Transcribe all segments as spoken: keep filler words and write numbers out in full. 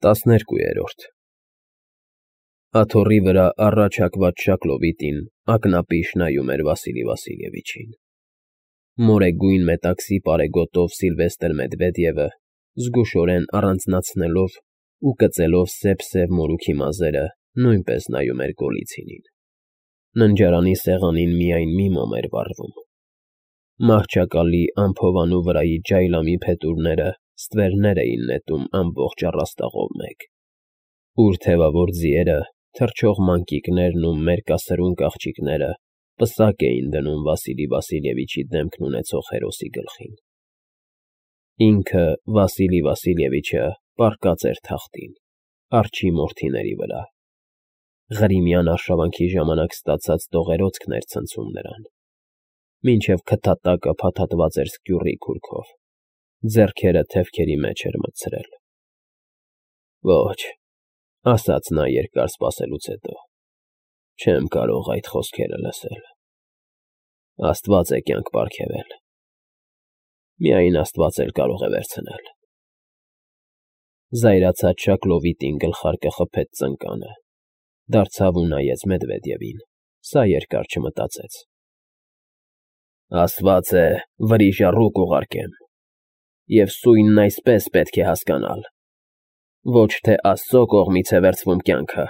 Տասներկուերորդ Աթոռի վրա առաջ հակված Շակլովիտին ակնապիշ նայում էր Վասիլի Վասիլևիչին։ Մորեգույն մետաքսի պարեգոտով Սիլվեստր Մեդվեդևը, զգուշորեն առանձնացնելով ու կծելով սև֊սև մորուքի մազերը, նույնպես նայում էր Գոլիցինին։ Ննջարանի սեղանին միայն մի մոմ էր վառվում։ Մահճակալի անփովանու վրայի ջայլամի փետուրները ստվերներ էին նետում ամբողջ առաստաղով մեկ։ Ուր թևավոր ձիերը, թռչող մանկիկներն ու մերկասրունկ աղջիկները պսակ էին դնում Վասիլի Վասիլևիչի դեմքն ունեցող հերոսի գլխին։ Ինքը Վասիլի Վասիլևիչը պառկած էր թախտին, արջի մորթիների վրա։ Ղրիմյան արշավանքի ժամանակ ստացած դողերոցքն էր ցնցում նրան, մինչև քթատակը փաթաթված էր սկյուռի քուրքով, ձեռքերը թևքերի մեջ էր մտցրել։ Ոչ, ասաց նա երկար սպասելուց հետո, չեմ կարող այդ խոսքերը լսել։ Աստված է կյանք պարգևել, միայն աստված էլ կարող է վերցնել։ Զայրացած Շակլովիտին գլխարկը խփեց ծնկանը, դարձավ ու նայեց Մեդվեդևին, սա երկար չմտածեց։ Աստված է, վրիժ առուկ ուղարկեմ, և սույնն այսպես պետք է հասկանալ. ոչ թե Աստծո կողմից է վերցվում կյանքը,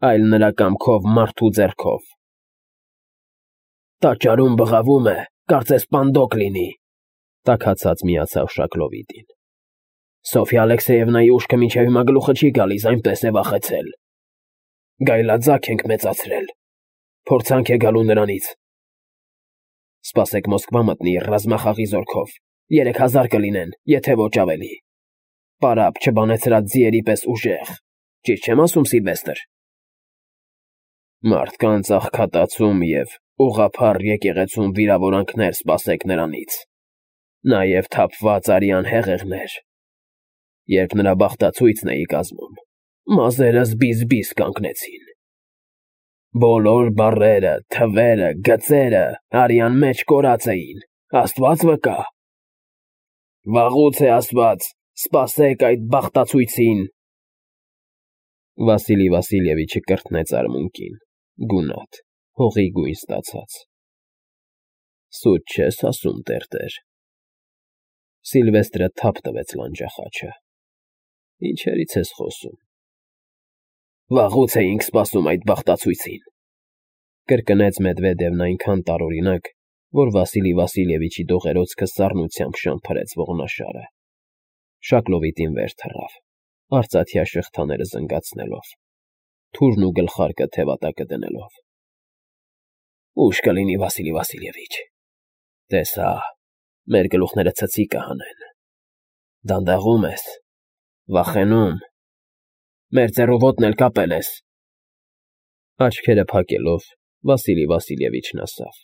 այլ նրա կամքով մարդու ձեռքով։ Տաճարում բղավում է, կարծես պանդոկ լինի, տաքացած միացավ Շակլովիտին։ Սոֆյա Ալեքսեևնայի ուշքը մինչև հիմա գլուխը չի գալիս, այնպես է վախեցել։ Գայլաձագ ենք մեծացրել, փորձանք է գալու նրանից։ Սպասեք Մոսկվա մտնի ռազմախաղի զորքով, երեք հազար կլինեն, եթե ոչ ավելի։ Պարապ չբանեցրած ձիերի պես ուժեղ, ճիշտ չեմ ասում, Սիլվեստր։ Մարդկանց աղքատացում և ուղղափառ եկեղեցում վիրավորանքներ սպասեք նրանից, նաև թափված արյան հեղեղներ։ Երբ նրա բախտացույցն էի կազմում, մազերս բիզ֊բիզ կանգնեցին։ Բոլոր բառերը, թվերը, գծերը արյան մեջ կորած էին, աստված վկա։ Վաղուց է ասված, սպասեք այդ բախտացույցին։ Վասիլի Վասիլևիչը կրկնեց արմունկին, գունատ, հողի գույն ստացած։ Սուտ չես ասում, տերտեր։ Սիլվեստրը թափ տվեց լանջախաչը։ Ինչերից ես խոսում։ Վաղուց էինք սպասում այդ բախտացույցին, կրկնեց Մեդվեդևն այնքան տարօրինակ, որ Վասիլի Վասիլևիչի դողերոցքը սառնությամբ շամփրեց ողնաշարը։ Շակլովիտին վեր թռավ, արծաթյա շղթաները զնգացնելով, թուրն ու գլխարկը թևատակը դնելով։ Ուշ կլինի, Վասիլի Վասիլևիչ, տեսա, մեր գլուխները ցցի կհանեն։ Դանդաղում ես, վախենում, մեր ձեռու ոտն էլ կապել ես։ Աչքերը փակելով, Վասիլի Վասիլևիչն ասավ.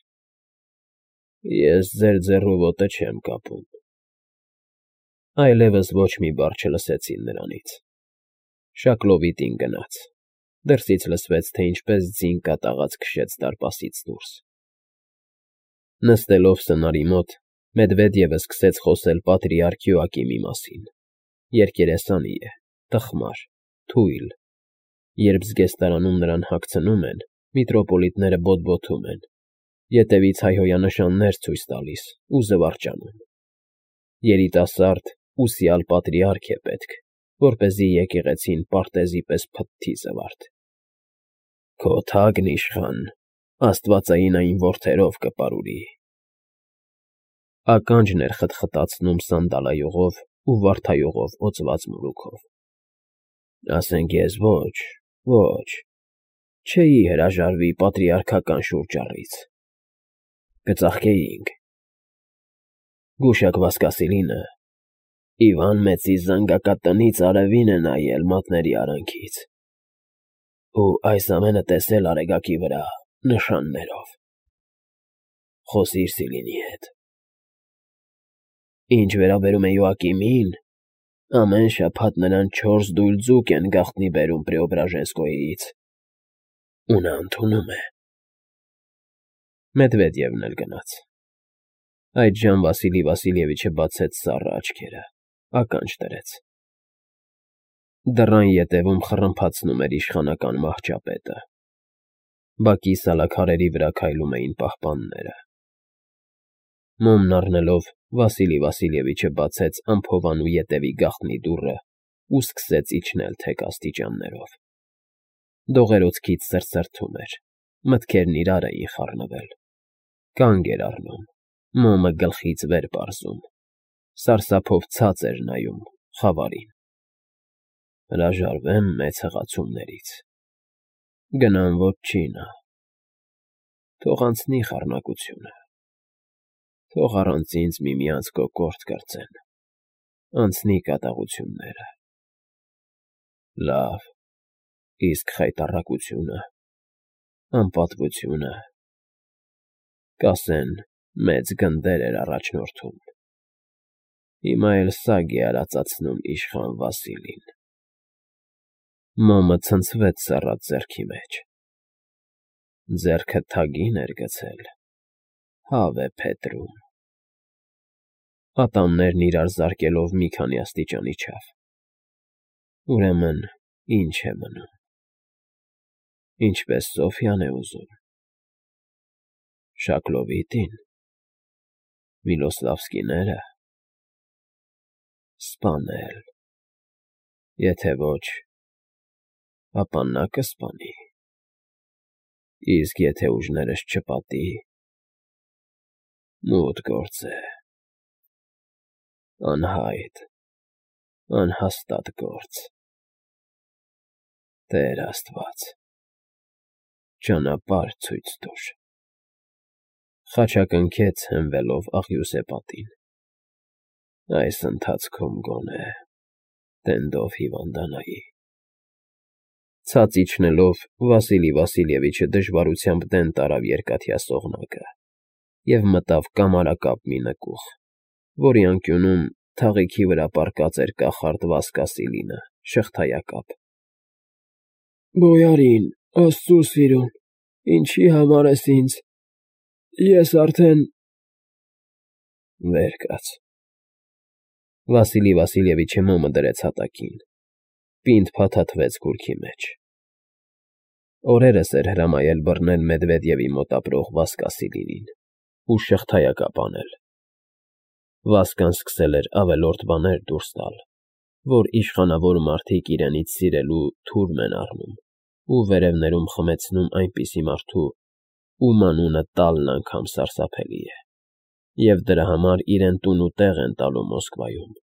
Ես ձեր ձեռու ոտը չեմ կապում։ Այլևս ոչ մի բառ չլսեցին նրանից։ Շակլովիտին գնաց, դրսից լսվեց, թե ինչպես ձին կատաղած քշեց դարպասից դուրս։ Նստելով սնարի մոտ, Մեդվեդևը սկսեց խոսել պատրիարք Յոակիմի մասին։ Երկերեսանի է, տխմար, թույլ։ Երբ զգեստարանում նրան հագցնում են, միտրոպոլիտները բոտբոթում են, ետևից հայհոյանշաններ ցույց տալիս ու զվարճանում։ Երիտասարդ, ուսյալ պատրիարք է պետք, որպեսզի եկեղեցին պարտեզի պես փթթի զվարթ։ Քո թագն իշխան, աստվածային այն որդերով կպարուրի։ Ականջն էր խտխտացնում սանդալայողով ու վարդայողով օծված մորուքով։ Ասենք ես ոչ, ոչ, չէի հրաժարվի պատրիարքական շուրջառից։ Կծաղկեինք։ Գուշակ Վասկասիլինը Իվան Մեծի զանգակատնից արևին է նայել մատների արանքից ու այս ամենը տեսել արեգակի վրա նշաններով։ Խոսիր Սիլինի հետ։ Ինչ վերաբերում է Յոակիմին, ամեն շաբաթ նրան չորս դույլ ձուկ են գաղտնի բերում Պրեոբրաժենսկոյից, ու նա ընդունում է։ Մեդվեդևն էլ գնաց։ Այդժամ Վասիլի Վասիլևիչը բացեց սառը աչքերը, ականջ դրեց։ Դռան ետևում խռմփացնում էր իշխանական մահճապետը։ Բակի սալաքարերի վրա քայլում էին պահպանները։ Մոմն առնելով, Վասիլի Վասիլևիչը բացեց ամփոփանու ետևի գաղտնի դուռը ու սկսեց իջնել թեք աստիճաններով։ Դողերոցքից սրսրթում էր, մտքերն իրար էին խառնվել։ Կանգ էր առնում, մոմը գլխից վեր պարզում, սարսափով ցած էր նայում խավարին։ Հրաժարվեմ մեծ հղացումներից, գնամ ոչինա, թող անցնի խառնակությունը, թող առանց ինձ միմյանց կոկորդ կրծեն, անցնի կատաղությունները։ Լավ, իսկ խայտառակությունը, անպատվությունը, կասեն, մեծ գնդեր էր առաջնորդում։ Հիմա էլ սագ է արածացնում իշխան Վասիլին։ Մոմը ցնցվեց սառած ձեռքի մեջ։ Ձեռքը թագին էր գցել, հավ է փետրում։ Ատամներն իրար զարկելով մի քանի աստիճան իջավ։ Ուրեմն ինչ է մնում։ Ինչպես Սոֆյան է ուզում։ Շակլովիտի՞ն, Միլոսլավսկիները։ Սպանել։ Եթե ոչ, ապա նա կսպանի։ Իսկ եթե ուժներս չպատի, մութ գործ է։ Անհայտ, անհաստատ գործ։ Տեր Աստված, ճանապարհ ցույց տուր։ Խաչակնքեց հենվելով աղյուսե պատին։ Այս ընթացքում գոնե տենդով հիվանդանայի։ Ցած իջնելով, Վասիլի Վասիլևիչը դժվարությամբ դեն տարավ երկաթյա սողնակը և մտավ կամարակապ մի նկուղ, որի անկյունում թաղիքի վրա պառկած էր կախարդ Վասկասիլինը, շղթայակապ։ Բոյարին, Աստծու սիրուն, ինչի համար ես ինձ, ես արդեն… Վեր կաց։ Վասիլի Վասիլևիչը մոմը դրեց հատակին, պինդ փաթաթվեց կուրքի մեջ։ Օրերս էր հրամայել բռնել Մեդվեդևի մոտ ապրող Վասկասիլինին ու շղթայակապ անել։ Վասկան սկսել էր ավելորդ բաներ դուրս տալ, որ իշխանավոր մարդիկ իրենից սիրելու թուրմ են առնում ու վերևներում խմեցնում այնպիսի մարդու, ում անունը տալն անգամ սարսափելի է, և դրա համար իրեն տուն ու տեղ են տալու Մոսկվայում,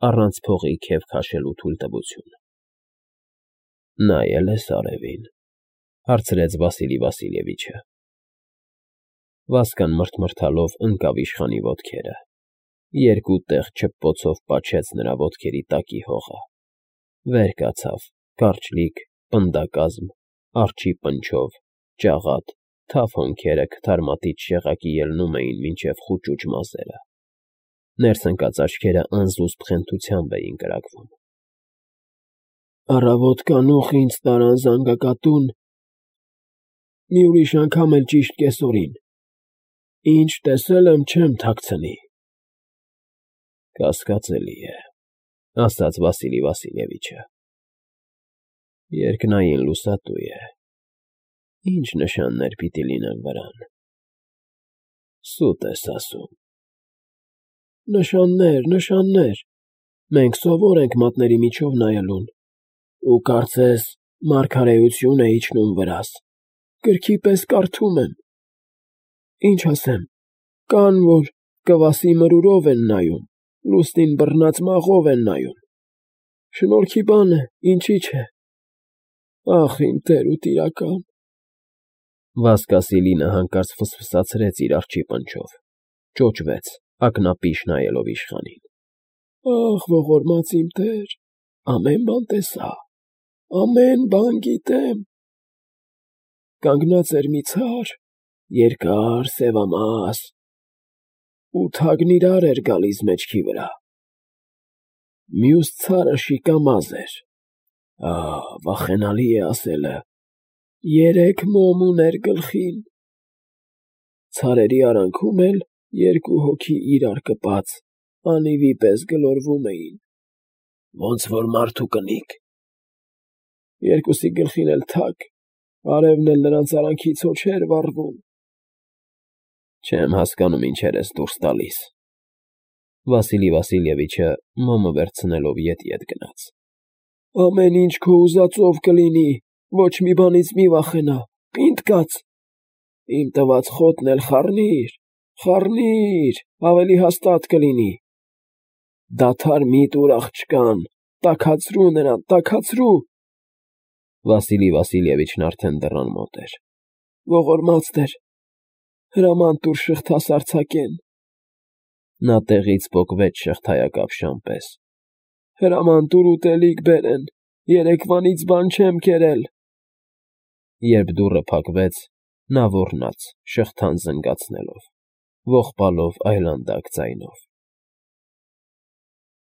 առանց փողի քեֆ քաշելու թույլտվություն։ Նայե՞լ ես արևին, հարցրեց Վասիլի Վասիլևիչը։ Վասկան մռթմռթալով ընկավ իշխանի ոտքերը, երկու տեղ չպպոցով պաչեց նրա ոտքերի տակի հողը, վեր կացավ, կարճլիկ, պնդակազմ, արջի պնչով, ջաղատ, թավ հոնքերը քթարմատից շեղակի ելնում էին մինչև խուճուճ մազերը, ներս ընկած աչքերը անզուսպ խենթությամբ էին կրակվում։ Առավոտ կանուխ ինձ տարան զանգակատուն, մի ուրիշ անգամ էլ ճիշտ կեսօրին, ինչ տեսել եմ, չեմ թաքցնի։ Կասկածելի է, ասաց Վասիլի Վասիլևիչը։ Երկնային լուսատու է, ինչ նշաններ պիտի լինեն վրան։ Սուտ ես ասում։ Նշաններ, նշաններ, մենք սովոր ենք մատների միջով նայելուն, ու կարծես մարգարեություն է իջնում վրաս, գրքի պես կարդում եմ։ Ինչ ասեմ, կան, որ կվասի մրուրով են նայում, լուսնին բռնած մաղով են նայում։ Շնորհքի բան է, ինչի՞ չէ։ Ախ, իմ տեր ու տիրակալ։ Վասկասիլինը հանկարծ ֆսֆսացրեց իր արջի պնչով, ճոճվեց, ակնապիշ նայելով իշխանին։ Ախ, ողորմած իմ տեր, ամեն բան տեսա, ամեն բան գիտեմ։ Կանգնած էր մի ցար, երկար, սևամաս, ու թագն իրար էր գալիս մեջքի վրա։ Մյուս ցարը շիկամազ էր, ահ, վախենալի է ասելը, երեք մոմ ուներ գլխին։ Ցարերի արանքում էլ երկու հոգի իրար կպած, անիվի պես գլորվում էին, ոնց որ մարդ ու կնիկ։ երկուսի գլխին էլ թակ, արևն էլ նրանց արանքից հո չէր վառվում։ Չեմ հասկանում ինչեր ես դուրս տալիս։ Վասիլի Վասիլևիչը մոմը վերցնելով ետ֊ետ գնաց։ Ամեն ինչ քո ուզածով կլինի, ոչ մի բանից մի վախենա, պինդ կաց։ Իմ տված խոտն էլ խառնիր, խառնիր, ավելի հաստատ կլինի։ Դադար մի տուր աղջկան, տաքացրու նրան, տաքացրու։ Վասիլի Վասիլևիչն արդեն դռան մոտ էր։ Ողորմած Տեր, հրաման տուր շղթաս արձակեն։ Նա տեղից պոկվեց շղթայակապ պես։ Հրաման տուր ուտելիք բերեն, երեկվանից բան չեմ կերել։ Երբ դուռը փակվեց, նա ոռնաց, շղթան զնգացնելով, ողբալով այլանդակ ձայնով։